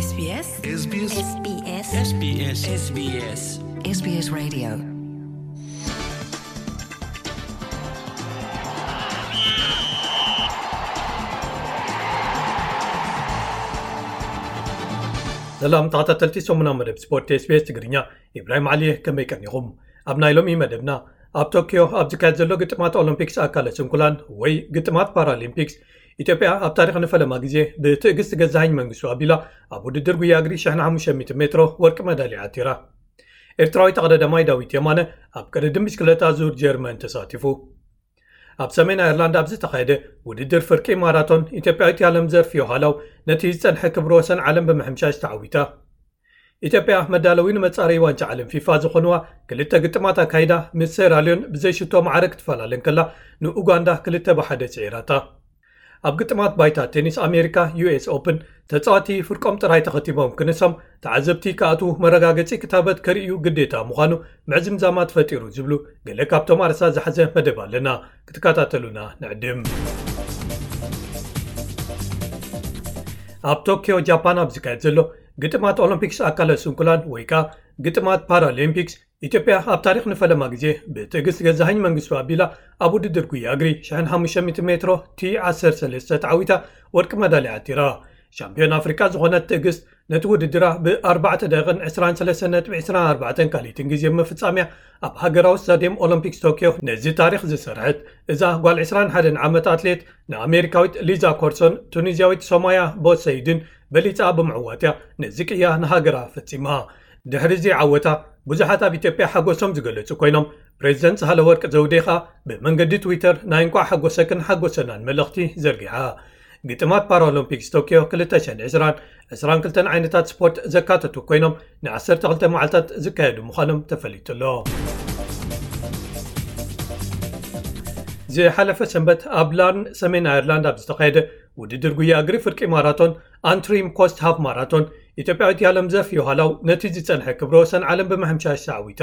SBS SBS SBS SBS SBS SBS Radio. ሰላም ተኸታተልቲ ሰሙና መደብ ስፖርት SBS ትግርኛ፣ ኢብራሂም ዓሊ፣ ከመይ ቀኒኹም? ኣብ ናይ ሎሚ መደብና፣ ኣብ ቶኪዮ ኣብ ዝካየድ ዘሎ ግጥማት ኦሎምፒክስ ኣካለ ስንኩላን ወይ ግጥማት ፓራሊምፒክስ፣ ኢትዮጵያ ኣብ ታሪኽ ንፈለማ ግዜ ብትዕግስቲ ገዛኸኝ መንግስቱ ኣቢላ ኣብ ውድድር ጉያ እግሪ ሽሕን ሓሙሽተ ሚእትን ሜትሮ ወርቂ መዳልያ ዓቲራ። ኤርትራዊ ተቐዳዳማይ ዳዊት የማነ ኣብ ቅድድም ብሽክለታ ዙር ጀርመን ተሳቲፉ። ኣብ ሰሜን ኣየርላንድ ኣብ ዝተኻየደ ውድድር ፍርቂ ማራቶን፣ ኢትዮጵያዊት ያለም ዘርፍ ዮሃላው ነቲ ዝጸንሐ ክብረ ወሰን ዓለም ብምሕምሻሽ ተዓዊታ። ኢትዮጵያ መዳለዊ ንመጻረዪ ዋንጫ ዓለም ፊፋ ዝኾንዋ ክልተ ግጥማት ኣካይዳ፣ ምስ ሴራልዮን ብዘይሽቶ ማዕረ ክትፈላለ እንከላ፣ ንኡጋንዳ ክልተ ብሓደ ስዒራታ። ኣብ ግጥማት ባይታ ቴኒስ ኣሜሪካ፣ ዩ ኤስ ኦፕን፣ ተጻወቲ ፍርቆም ጥራይ ተኸቲቦም ክንሶም፣ ተዓዘብቲ ክኣትዉ መረጋገጺ ክታበት ከርእዩ ግዴታ ምዃኑ ምዕዝምዛማት ፈጢሩ ዝብሉ ገለ ካብቶም ኣርእስታት ዝሓዘ መደብ ኣለና። ክትከታተሉና ንዕድም። ኣብ ቶኪዮ ጃፓን ኣብ ዝካየድ ዘሎ ግጥማት ኦሎምፒክስ ኣካለ ስንኩላን ወይ ከኣ ግጥማት ፓራሊምፒክስ፣ ኢትዮጵያ ኣብ ታሪኽ ንፈለማ ግዜ ብትዕግስት ገዛኸኝ መንግስቱ ኣቢላ ኣብ ውድድር ጉያ እግሪ ሽሕን ሓሙሽተ ሚእትን ሜትሮ ቲ ዓሰርተ ሰለስተ ተዓዊታ ወርቂ መዳልያ ዓቲራ። ሻምፒዮን ኣፍሪቃ ዝኾነት ትዕግስት ነቲ ውድድራ ብ ኣርባዕተ ደቂቕን ዕስራን ሰለስተን ነጥቢ ዕስራን ኣርባዕተን ካልኢትን ግዜ ምፍጻምያ ኣብ ሃገራዊ ስታድየም ኦሎምፒክስ ቶኪዮ ነዚ ታሪኽ ዝሰርሐት እዛ ጓል ዕስራን ሓደን ዓመት ኣትሌት ንኣሜሪካዊት ሊዛ ኮርሶን ቱኒዝያዊት ሶማያ ቦሰይድን በሊጻ ብምዕዋትያ ነዚ ቅያ ንሃገራ ፈጺማ። ድሕሪ እዚ ዓወታ ብዙሓት ኣብ ኢትዮጵያ ሓጎሶም ዝገለጹ ኮይኖም፣ ፕሬዚደንት ሳህለወርቅ ዘውዴ ኸኣ ብመንገዲ ትዊተር ናይ እንቋዕ ሓጎሰክን ሓጎሰናን መልእኽቲ ዘርጊሓ። ግጥማት ፓራኦሎምፒክስ ቶኪዮ ክልተ ሽሕን ዕስራን፣ ዕስራን ክልተን ዓይነታት ስፖርት ዘካተቱ ኮይኖም፣ ንዓሰርተ ክልተ መዓልታት ዝካየዱ ምዃኖም ተፈሊጡ ኣሎ። ዝሓለፈ ሰንበት ኣብ ላርን ሰሜን ኣየርላንድ ኣብ ዝተኻየደ ውድድር ጉያ እግሪ ፍርቂ ማራቶን፣ ኣንትሪም ኮስት ሃፍ ማራቶን፣ ኢትዮጵያዊት ያለም ዘርፍ ዮሃላው ነቲ ዝጸንሐ ክብረ ወሰን ዓለም ብምሕምሻሽ ተዓዊታ።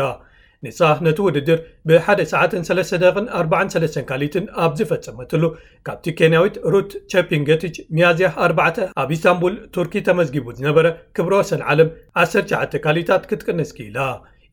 ንሳ ነቲ ውድድር ብሓደ ሰዓትን ሰለስተ ደቂቕን ኣርባዓን ሰለስተን ካልኢትን ኣብ ዝፈጸመትሉ፣ ካብቲ ኬንያዊት ሩት ቸፒንገቲች ሚያዝያ ኣርባዕተ ኣብ ኢስታንቡል ቱርኪ ተመዝጊቡ ዝነበረ ክብረ ወሰን ዓለም ዓሰርተ ትሽዓተ ካልኢታት ክትቅንስ ክኢላ።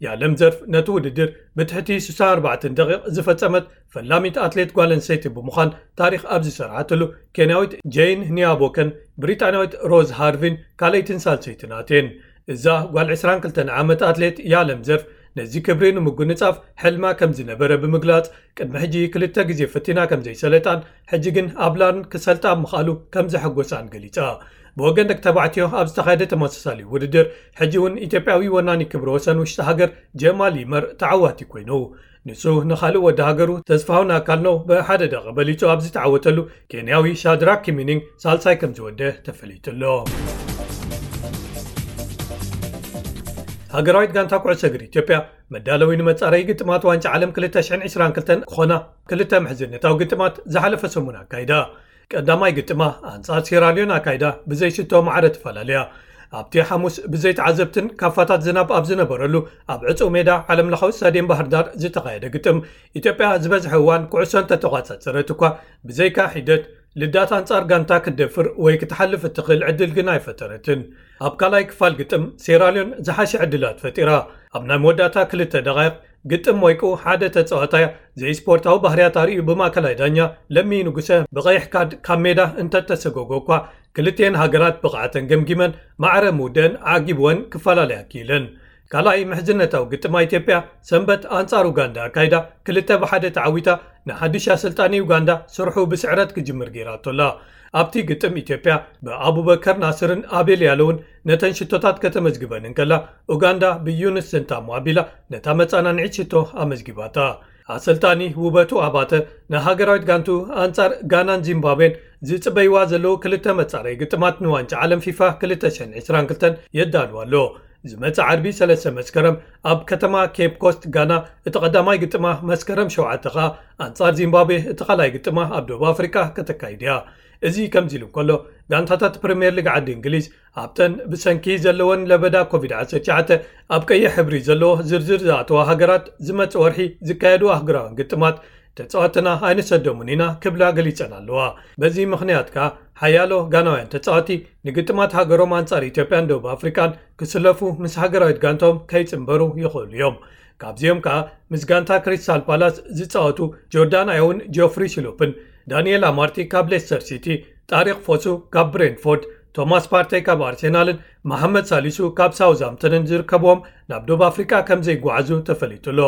ያለም ዘርፍ ነቲ ውድድር ብትሕቲ ስሳን ኣርባዕተን ደቂቕ ዝፈጸመት ፈላሚት ኣትሌት ጓል ኣንስተይቲ ብምዃን ታሪኽ ኣብ ዝሰርሓትሉ፣ ኬንያዊት ጄይን ኒያቦከን ብሪጣንያዊት ሮዝ ሃርቪን ካልኣይትን ሳልሰይትን ኣትየን። እዛ ጓል ዕስራን ክልተን ዓመት ኣትሌት ያለም ዘርፍ ነዚ ክብሪ ንምጉንጻፍ ሕልማ ከም ዝነበረ ብምግላጽ፣ ቅድሚ ሕጂ ክልተ ግዜ ፈቲና ከም ዘይሰለጣን፣ ሕጂ ግን ኣብ ላርን ክሰልጣ ምኽኣሉ ከም ዘሐጎሳን ገሊጻ። ብወገን ደቂ ተባዕትዮ ኣብ ዝተኻየደ ተመሳሳሊ ውድድር፣ ሕጂ እውን ኢትዮጵያዊ ወናኒ ክብረ ወሰን ውሽጢ ሃገር ጀማል ይመር ተዓዋቲ ኮይኑ። ንሱ ንኻልእ ወዲ ሃገሩ ተስፋሁን ኣካልነው ብሓደ ደቂ በሊጹ ኣብ ዝተዓወተሉ፣ ኬንያዊ ሻድራክ ኪሚኒንግ ሳልሳይ ከም ዝወደ ተፈሊጡ ኣሎ። ሃገራዊት ጋንታ ኩዕሶ እግሪ ኢትዮጵያ መዳለዊ ንመጻረዪ ግጥማት ዋንጫ ዓለም ክልተ ሽሕን ዕስራን ክልተን ክኾና ክልተ ምሕዝነታዊ ግጥማት ዝሓለፈ ሰሙን ኣካይዳ። ቀዳማይ ግጥማ ኣንጻር ሴራልዮን ኣካይዳ ብዘይሽቶ ማዕረ ተፈላለያ። ኣብቲ ሓሙስ ብዘይተዓዘብትን ካፋታት ዝናብ ኣብ ዝነበረሉ ኣብ ዕጹው ሜዳ ዓለምለኻዊ ስታድየም ባህር ዳር ዝተኻየደ ግጥም፣ ኢትዮጵያ ዝበዝሐ እዋን ኩዕሶ እንተተቋጻጸረት እኳ፣ ብዘይካ ሒደት ልዳት ኣንጻር ጋንታ ክትደፍር ወይ ክትሓልፍ እትኽእል ዕድል ግን ኣይፈጠረትን። ኣብ ካልኣይ ክፋል ግጥም ሴራልዮን ዝሓሸ ዕድላት ፈጢራ። ኣብ ናይ መወዳእታ ክልተ ደቓይቕ ግጥም ወይቁ ሓደ ተጻዋታይ ዘይስፖርታዊ ባህርያት ኣርእዩ ብማእከላይ ዳኛ ለሚ ንጉሰ ብቐይሕ ካርድ ካብ ሜዳ እንተተሰጎጎ እኳ፣ ክልቲኤን ሃገራት ብቕዓተን ገምጊመን ማዕረ ምውደአን ዓጊብወን ክፈላለያ ክኢለን። ካልኣይ ምሕዝነታዊ ግጥም ኢትዮጵያ ሰንበት ኣንጻር ኡጋንዳ ኣካይዳ ክልተ ብሓደ ተዓዊታ፣ ንሓድሽ ኣሰልጣኒ ኡጋንዳ ስርሑ ብስዕረት ክጅምር ገይራቶ ኣላ። ኣብቲ ግጥም ኢትዮጵያ ብኣቡበከር ናስርን ኣቤል ያለውን ነተን ሽቶታት ከተመዝግበን እንከላ፣ ኡጋንዳ ብዩንስ ሰንታሞ ኣቢላ ነታ መጻናንዒት ሽቶ ኣመዝጊባታ። ኣሰልጣኒ ውበቱ ኣባተ ንሃገራዊት ጋንቱ ኣንጻር ጋናን ዚምባብዌን ዝጽበይዋ ዘለዉ ክልተ መጻረዪ ግጥማት ንዋንጫ ዓለም ፊፋ ክልተ ሽሕን ዕስራን ክልተን የዳልዋ ኣሎ። ዝመጽእ ዓርቢ ሰለስተ መስከረም ኣብ ከተማ ኬፕ ኮስት ጋና እቲ ቀዳማይ ግጥማ፣ መስከረም ሸውዓተ ከኣ ኣንጻር ዚምባብዌ እቲ ካልኣይ ግጥማ ኣብ ደቡብ ኣፍሪቃ ከተካይድ እያ። እዚ ከምዚ ኢሉ እንከሎ፣ ጋንታታት ፕሪምየር ሊግ ዓዲ እንግሊዝ ኣብተን ብሰንኪ ዘለወን ለበዳ ኮቪድ ዓሰርተ ትሽዓተ ኣብ ቀይሕ ሕብሪ ዘለዎ ዝርዝር ዝኣተዋ ሃገራት ዝመጽእ ወርሒ ዝካየዱ ኣህጉራውያን ግጥማት ተጻዋትና ኣይንሰዶምን ኢና ክብላ ገሊጸን ኣለዋ። በዚ ምኽንያት ከኣ ሓያሎ ጋናውያን ተጻዋቲ ንግጥማት ሃገሮም ኣንጻር ኢትዮጵያን ደቡብ ኣፍሪቃን ክስለፉ ምስ ሃገራዊት ጋንቶም ከይጽንበሩ ይኽእሉ እዮም። ካብዚኦም ከኣ ምስ ጋንታ ክሪስታል ፓላስ ዝጻወቱ ጆርዳን ኣዮውን ጆፍሪ ሽሎፕን፣ ዳንኤል ኣማርቲ ካብ ሌስተር ሲቲ፣ ጣሪቅ ፎሱ ካብ ብሬንፎርድ፣ ቶማስ ፓርተይ ካብ ኣርሴናልን መሓመድ ሳሊሱ ካብ ሳውዝሃምፕተንን ዝርከብዎም ናብ ደቡብ ኣፍሪቃ ከም ዘይጓዓዙ ተፈሊጡ ኣሎ።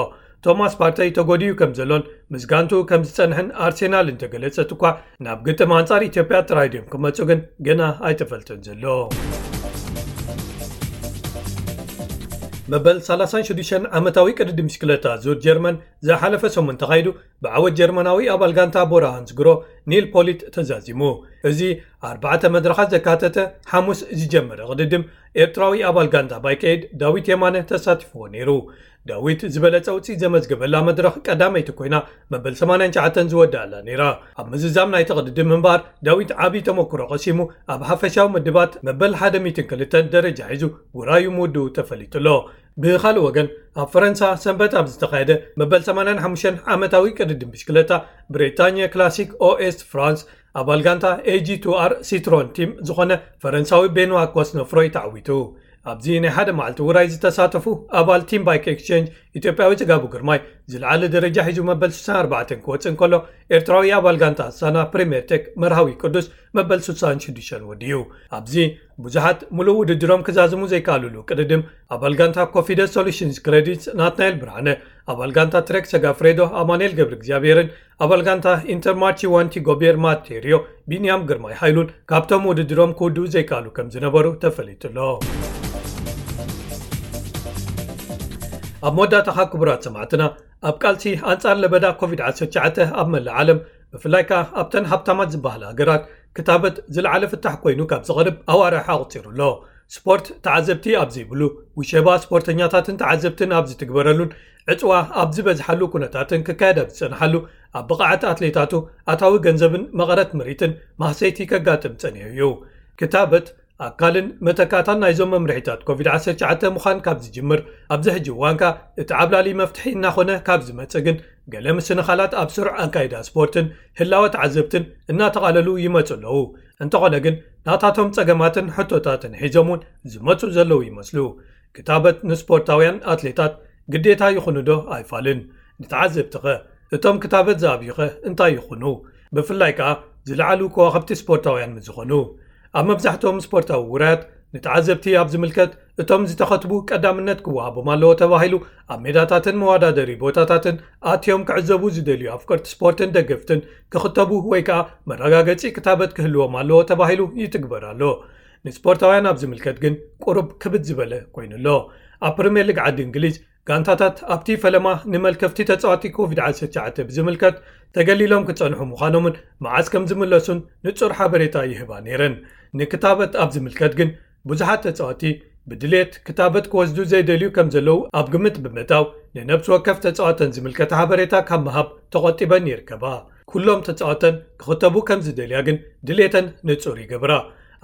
ቶማስ ፓርተይ ተጎዲኡ ከም ዘሎን ምስ ጋንቱ ከም ዝጸንሕን ኣርሴናል እንተገለጸት እኳ፣ ናብ ግጥም ኣንጻር ኢትዮጵያ ጥራይ ድዮም ክመጹ ግን ገና ኣይተፈልጠን ዘሎ። መበል ሰላሳን ሽዱሽተን ዓመታዊ ቅድድም ብሽክለታ ዙር ጀርመን ዝሓለፈ ሰሙን ተኻይዱ፣ ብዓወት ጀርመናዊ ኣባል ጋንታ ቦራ ሃንስግሮ ኒል ፖሊት ተዛዚሙ። እዚ ኣርባዕተ መድረኻት ዘካተተ ሓሙስ ዝጀመረ ቅድድም፣ ኤርትራዊ ኣባል ጋንታ ባይከይድ ዳዊት የማነ ተሳቲፍዎ ነይሩ። ዳዊት ዝበለጸ ውጽኢት ዘመዝገበላ መድረኽ ቀዳመይቲ ኮይና፣ መበል ሰማንያን ትሽዓተን ዝወዳእላ ነይራ። ኣብ ምዝዛም ናይቲ ቅድድም እምበኣር፣ ዳዊት ዓቢ ተመክሮ ቀሲሙ፣ ኣብ ሓፈሻዊ ምድባት መበል ሓደ ሚእትን ክልተን ደረጃ ሒዙ ውራዩ ምውድኡ ተፈሊጡ ኣሎ። ብኻልእ ወገን፣ ኣብ ፈረንሳ ሰንበት ኣብ ዝተኻየደ መበል ሰማንያን ሓሙሽተን ዓመታዊ ቅድድም ብሽክለታ ብሪጣንያ ክላሲክ ኦኤስት ፍራንስ፣ ኣባል ጋንታ ኤጂ ቱ ኣር ሲትሮን ቲም ዝኾነ ፈረንሳዊ ቤንዋ ኮስኖፍሮይ ተዓዊቱ። ኣብዚ ናይ ሓደ መዓልቲ ውራይ ዝተሳተፉ ኣባል ቲም ባይክ ኤክስቼንጅ ኢትዮጵያዊ ጽጋቡ ግርማይ፣ ዝለዓለ ደረጃ ሒዙ መበል ስሳን ኣርባዕተን ክወጽእ እንከሎ፣ ኤርትራዊ ኣባል ጋንታ ኣስታና ፕሪምየር ቴክ መርሃዊ ቅዱስ መበል ስሳን ሽዱሽተን ወዲኡ። ኣብዚ ብዙሓት ሙሉእ ውድድሮም ክዛዝሙ ዘይከኣሉሉ ቅድድም፣ ኣባል ጋንታ ኮፊደስ ሶሉሽንስ ክሬዲትስ ናትናኤል ብርሃነ፣ ኣባል ጋንታ ትሬክ ሰጋፍሬዶ ኣማኑኤል ገብረ እግዚኣብሔርን ኣባል ጋንታ ኢንተርማርቺ ዋንቲ ጎቤር ማቴሪዮ ቢንያም ግርማይ ሃይሉን ካብቶም ውድድሮም ክውድኡ ዘይከኣሉ ከም ዝነበሩ ተፈሊጡ ኣሎ። ኣብ መወዳእታኻ ክቡራት ሰማዕትና፣ ኣብ ቃልሲ ኣንጻር ለበዳ ኮቪድ ዓሰርተ ትሽዓተ ኣብ መላእ ዓለም፣ ብፍላይ ከኣ ኣብተን ሃብታማት ዝበሃላ ሃገራት፣ ክታበት ዝለዓለ ፍታሕ ኮይኑ ካብ ዝቐርብ ኣዋርሕ ኣቑጺሩ ኣሎ። ስፖርት ተዓዘብቲ ኣብ ዘይብሉ፣ ውሸባ ስፖርተኛታትን ተዓዘብትን ኣብ ዝትግበረሉን ዕጽዋ ኣብ ዝበዝሓሉ ኩነታትን ክካየድ ኣብ ዝጸንሓሉ፣ ኣብ ብቕዓት ኣትሌታቱ ኣታዊ ገንዘብን መቐረት ምርኢትን ማህሰይቲ ከጋጥም ጸኒሑ እዩ። ክታበት ኣካልን መተካእታን ናይዞም መምርሒታት ኮቪድ ዓሰርተ ትሽዓተ ምዃን ካብ ዝጅምር፣ ኣብዚ ሕጂ እዋን ከኣ እቲ ዓብላሊ መፍትሒ እናኾነ ካብ ዝመጽእ ግን፣ ገለ ምስንኻላት ኣብ ስሩዕ ኣካይዳ ስፖርትን ህላወ ተዓዘብትን እናተቓለሉ ይመጹ ኣለዉ። እንተኾነ ግን፣ ናታቶም ጸገማትን ሕቶታትን ሒዞም እውን ዝመጹ ዘለዉ ይመስሉ። ክታበት ንስፖርታውያን ኣትሌታት ግዴታ ይኹኑ ዶ ኣይፋልን? ንተዓዘብትኸ? እቶም ክታበት ዝኣብዩኸ እንታይ ይኹኑ? ብፍላይ ከኣ ዝለዓሉ ከዋኽብቲ ስፖርታውያን ምስ ዝኾኑ። ኣብ መብዛሕትኦም ስፖርታዊ ውራያት ንተዓዘብቲ ኣብ ዝምልከት፣ እቶም ዝተኸትቡ ቀዳምነት ክወሃቦም ኣለዎ ተባሂሉ፣ ኣብ ሜዳታትን መወዳደሪ ቦታታትን ኣትዮም ክዕዘቡ ዝደልዩ ኣፍቀርቲ ስፖርትን ደገፍትን ክኽተቡ ወይ ከኣ መረጋገጺ ክታበት ክህልዎም ኣለዎ ተባሂሉ ይትግበር ኣሎ። ንስፖርታውያን ኣብ ዝምልከት ግን ቁሩብ ክብድ ዝበለ ኮይኑ ኣሎ። ኣብ ፕሪምየር ሊግ ዓዲ እንግሊዝ፣ ጋንታታት ኣብቲ ፈለማ ንመልከፍቲ ተጻዋቲ ኮቪድ ዓሰርተ ትሽዓተ ብዝምልከት ተገሊሎም ክጸንሑ ምዃኖምን መዓስ ከም ዝምለሱን ንጹር ሓበሬታ ይህባ ነይረን። ንክታበት ኣብ ዝምልከት ግን፣ ብዙሓት ተጻዋቲ ብድሌት ክታበት ክወስዱ ዘይደልዩ ከም ዘለዉ ኣብ ግምት ብምእታው፣ ንነብሲ ወከፍ ተጻዋተን ዝምልከት ሓበሬታ ካብ ምሃብ ተቖጢበን ይርከባ። ኩሎም ተጻዋተን ክኽተቡ ከም ዝደልያ ግን ድሌተን ንጹር ይገብራ።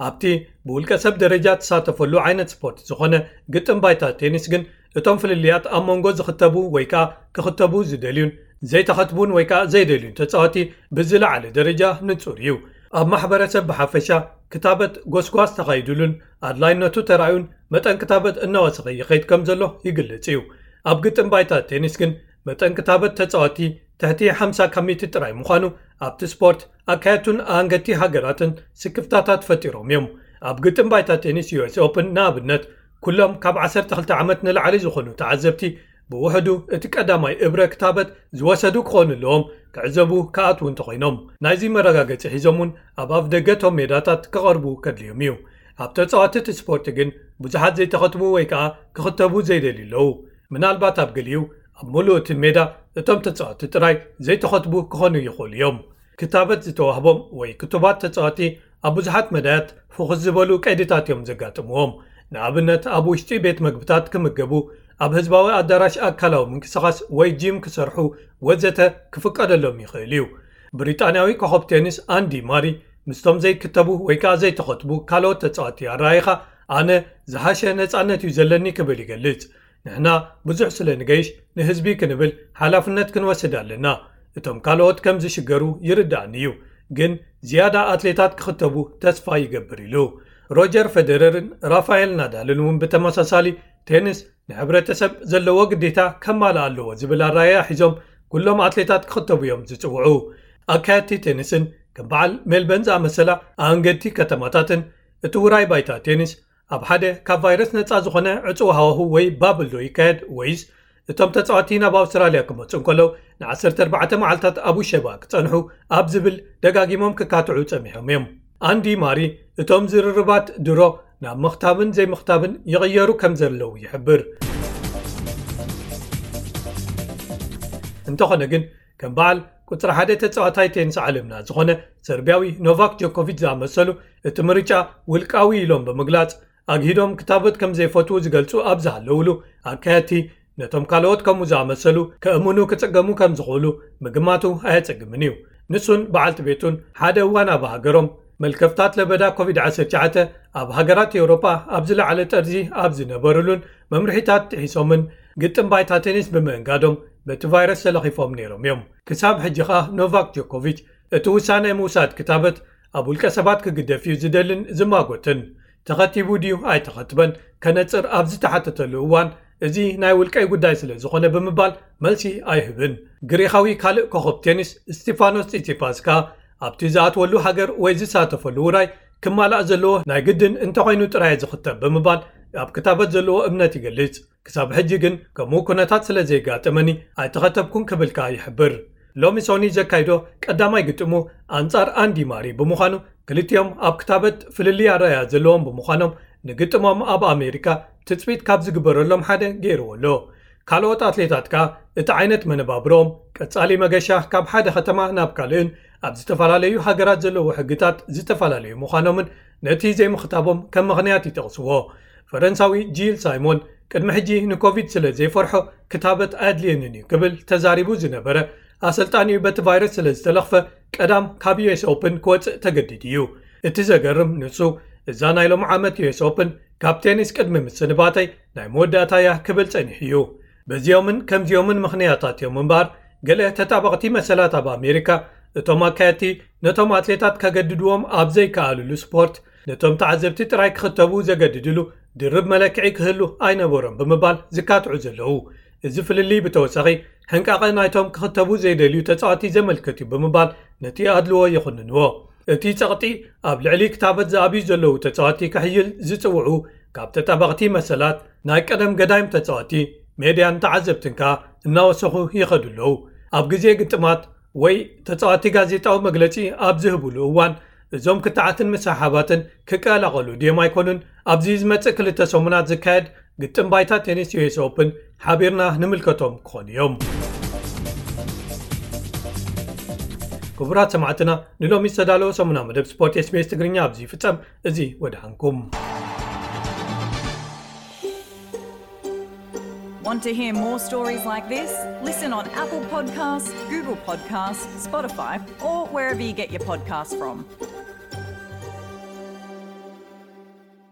ኣብቲ ብውልቀ ሰብ ደረጃ ትሳተፈሉ ዓይነት ስፖርት ዝኾነ ግጥም ባይታ ቴኒስ ግን፣ እቶም ፍልልያት ኣብ መንጎ ዝኽተቡ ወይ ከኣ ክኽተቡ ዝደልዩን ዘይተኸትቡን ወይ ከኣ ዘይደልዩን ተጻወቲ ብዝለዓለ ደረጃ ንጹር እዩ። ኣብ ማሕበረሰብ ብሓፈሻ፣ ክታበት ጎስጓስ ተኻይዱሉን ኣድላይነቱ ተራእዩን፣ መጠን ክታበት እናወሰኸ ይኸይድ ከም ዘሎ ይግለጽ እዩ። ኣብ ግጥም ባይታ ቴኒስ ግን፣ መጠን ክታበት ተጻወቲ ትሕቲ ሓምሳ ካብ ሚእቲ ጥራይ ምዃኑ፣ ኣብቲ ስፖርት ኣካየድቱን ኣንገቲ ሃገራትን ስክፍታታት ፈጢሮም እዮም። ኣብ ግጥም ባይታ ቴኒስ ዩ ኤስ ኦፕን ንኣብነት፣ ኩሎም ካብ ዓሰርተ ክልተ ዓመት ንላዕሊ ዝኾኑ ተዓዘብቲ፣ ብውሕዱ እቲ ቀዳማይ እብረ ክታበት ዝወሰዱ ክኾኑ ኣለዎም፣ ክዕዘቡ ክኣትዉ እንተኾይኖም። ናይዚ መረጋገጺ ሒዞም እውን ኣብ ኣፍ ደገ እቶም ሜዳታት ክቐርቡ ከድልዮም እዩ። ኣብ ተጻወቲ እቲ ስፖርት ግን ብዙሓት ዘይተኸትቡ ወይ ከኣ ክኽተቡ ዘይደልዩ ኣለዉ። ምናልባት ኣብ ገሊኡ፣ ኣብ ምሉእ እቲ ሜዳ እቶም ተጻወቲ ጥራይ ዘይተኸትቡ ክኾኑ ይኽእሉ እዮም። ክታበት ዝተዋህቦም ወይ ክቱባት ተጻወቲ ኣብ ብዙሓት መዳያት ፍኹስ ዝበሉ ቀይድታት እዮም ዘጋጥምዎም። ንኣብነት፣ ኣብ ውሽጢ ቤት መግብታት ክምገቡ፣ ኣብ ህዝባዊ ኣዳራሽ ኣካላዊ ምንቅስቓስ ወይ ጂም ክሰርሑ ወዘተ ክፍቀደሎም ይኽእል እዩ። ብሪጣንያዊ ኮኸብ ቴኒስ ኣንዲ ማሪ ምስቶም ዘይክተቡ ወይ ከኣ ዘይተኸትቡ ካልኦት ተጻወቲ ኣረኣይኻ፣ ኣነ ዝሓሸ ነጻነት እዩ ዘለኒ ክብል ይገልጽ። ንሕና ብዙሕ ስለ ንገይሽ፣ ንህዝቢ ክንብል ሓላፍነት ክንወስድ ኣለና። እቶም ካልኦት ከም ዝሽገሩ ይርዳእኒ እዩ፣ ግን ዝያዳ ኣትሌታት ክኽተቡ ተስፋ ይገብር ኢሉ። ሮጀር ፌደረርን ራፋኤል ናዳልን እውን ብተመሳሳሊ ቴኒስ ንሕብረተሰብ ዘለዎ ግዴታ ከማልእ ኣለዎ ዝብል ኣረኣእያ ሒዞም ኩሎም ኣትሌታት ክኽተቡ እዮም ዝጽውዑ። ኣካየድቲ ቴኒስን ከም በዓል ሜልበን ዝኣመሰላ ኣንገድቲ ከተማታትን እቲ ውራይ ባይታ ቴኒስ ኣብ ሓደ ካብ ቫይረስ ነጻ ዝኾነ ዕጹው ሃዋሁ ወይ ባብል ዶ ይካየድ ወይስ እቶም ተጻወቲ ናብ ኣውስትራልያ ክመጹ እንከለዉ ን14 መዓልታት ኣብ ውሸባ ክጸንሑ ኣብ ዝብል ደጋጊሞም ክካትዑ ጸሚሖም እዮም። ኣንዲ ማሪ እቶም ዝርርባት ድሮ ናብ ምኽታብን ዘይምኽታብን ይቕየሩ ከም ዘለዉ ይሕብር። እንተኾነ ግን ከም በዓል ቁጽሪ ሓደ ተጻዋታይ ቴኒስ ዓለምና ዝኾነ ሰርቢያዊ ኖቫክ ጆኮቪች ዝኣመሰሉ እቲ ምርጫ ውልቃዊ ኢሎም ብምግላጽ ኣግሂዶም ክታበት ከም ዘይፈትዉ ዝገልጹ ኣብ ዝሃለውሉ ኣካየድቲ ነቶም ካልኦት ከምኡ ዝኣመሰሉ ከእምኑ ክጽገሙ ከም ዝኽእሉ ምግማቱ ኣየጸግምን እዩ። ንሱን በዓልቲ ቤቱን ሓደ እዋን ኣብ ሃገሮም መልከፍታት ለበዳ ኮቪድ-19 ኣብ ሃገራት ኤውሮጳ ኣብ ዝለዓለ ጠርዚ ኣብ ዝነበሩሉን መምርሒታት ጥሒሶምን ግጥም ባይታ ቴኒስ ብምእንጋዶም በቲ ቫይረስ ተለኺፎም ነይሮም እዮም። ክሳብ ሕጂ ኸኣ ኖቫክ ጆኮቪች እቲ ውሳነ ምውሳድ ክታበት ኣብ ውልቀ ሰባት ክግደፍ እዩ ዝደልን ዝማጎትን፣ ተኸቲቡ ድዩ ኣይተኸትበን ከነጽር ኣብ ዝተሓተተሉ እዋን፣ እዚ ናይ ውልቀይ ጉዳይ ስለ ዝኾነ ብምባል መልሲ ኣይህብን። ግሪኻዊ ካልእ ኮኸብ ቴኒስ ስቲፋኖስ ጺጺፓስ ከኣ ኣብቲ ዝኣትወሉ ሃገር ወይ ዝሳተፈሉ ውራይ ክማላእ ዘለዎ ናይ ግድን እንተኾይኑ ጥራይ ዝኽተብ ብምባል ኣብ ክታበት ዘለዎ እምነት ይገልጽ። ክሳብ ሕጂ ግን ከምኡ ኩነታት ስለ ዘይጋጠመኒ ኣይተኸተብኩን ክብል ከኣ ይሕብር። ሎሚ ሶኒ ዘካይዶ ቀዳማይ ግጥሙ ኣንጻር ኣንዲ ማሪ ብምዃኑ ክልቲኦም ኣብ ክታበት ፍልልይ ኣረኣእያ ዘለዎም ብምዃኖም ንግጥሞም ኣብ ኣሜሪካ ትጽቢት ካብ ዝግበረሎም ሓደ ገይርዎ ኣሎ። ካልኦት ኣትሌታት ከኣ እቲ ዓይነት መነባብሮኦም ቀጻሊ መገሻ ካብ ሓደ ከተማ ናብ ካልእን ኣብ ዝተፈላለዩ ሃገራት ዘለዉ ሕግታት ዝተፈላለዩ ምዃኖምን ነቲ ዘይምኽታቦም ከም ምኽንያት ይጠቕስዎ። ፈረንሳዊ ጂል ሳይሞን ቅድሚ ሕጂ ንኮቪድ ስለ ዘይፈርሖ ክታበት ኣየድልየንን እዩ ክብል ተዛሪቡ ዝነበረ ኣሰልጣኒኡ በቲ ቫይረስ ስለ ዝተለኽፈ ቀዳም ካብ ዩኤስ ኦፕን ክወጽእ ተገዲዱ እዩ። እቲ ዘገርም ንሱ እዛ ናይ ሎም ዓመት ዩኤስ ኦፕን ካብ ቴኒስ ቅድሚ ምስንባተይ ናይ መወዳእታ እያ ክብል ጸኒሑ እዩ። በዚኦምን ከምዚኦምን ምኽንያታት እዮም እምበኣር ገለ ተጣበቕቲ መሰላት ኣብ ኣሜሪካ እቶም ኣካየድቲ ነቶም ኣትሌታት ከገድድዎም ኣብ ዘይከኣልሉ ስፖርት ነቶም ተዓዘብቲ ጥራይ ክኽተቡ ዘገድድሉ ድርብ መለክዒ ክህሉ ኣይነበሮም ብምባል ዝካትዑ ዘለዉ። እዚ ፍልልይ ብተወሳኺ ሕንቃቐ ናይቶም ክኽተቡ ዘይደልዩ ተጻዋቲ ዘመልክት እዩ ብምባል ነቲ ኣድልዎ ይኹንንዎ። እቲ ጸቕጢ ኣብ ልዕሊ ክታበት ዝኣብዩ ዘለዉ ተጻዋቲ ክሕይል ዝጽውዑ ካብ ተጣበቕቲ መሰላት ናይ ቀደም ገዳይም ተጻዋቲ ሜድያን ተዓዘብትን ከኣ እናወሰኹ ይኸዱ ኣለዉ። ኣብ ግዜ ግጥማት ወይ ተጻዋቲ ጋዜጣዊ መግለጺ ኣብ ዝህብሉ እዋን እዞም ክትዓትን ምስሕሓባትን ክቀላቐሉ ድዮም ኣይኮኑን ኣብዚ ዝመጽእ ክልተ ሰሙናት ዝካየድ ግጥም ባይታ ቴኒስ ዩኤስ ኦፕን ሓቢርና ንምልከቶም ክኾኑ እዮም። ክቡራት ሰማዕትና ንሎሚ ዝተዳለወ ሰሙና መደብ ስፖርት ኤስቢኤስ ትግርኛ ኣብዚ ይፍጸም። እዚ ወድሓንኩም። Want to hear more stories like this? Listen on Apple Podcasts, Google Podcasts, Spotify, or wherever you get your podcasts from.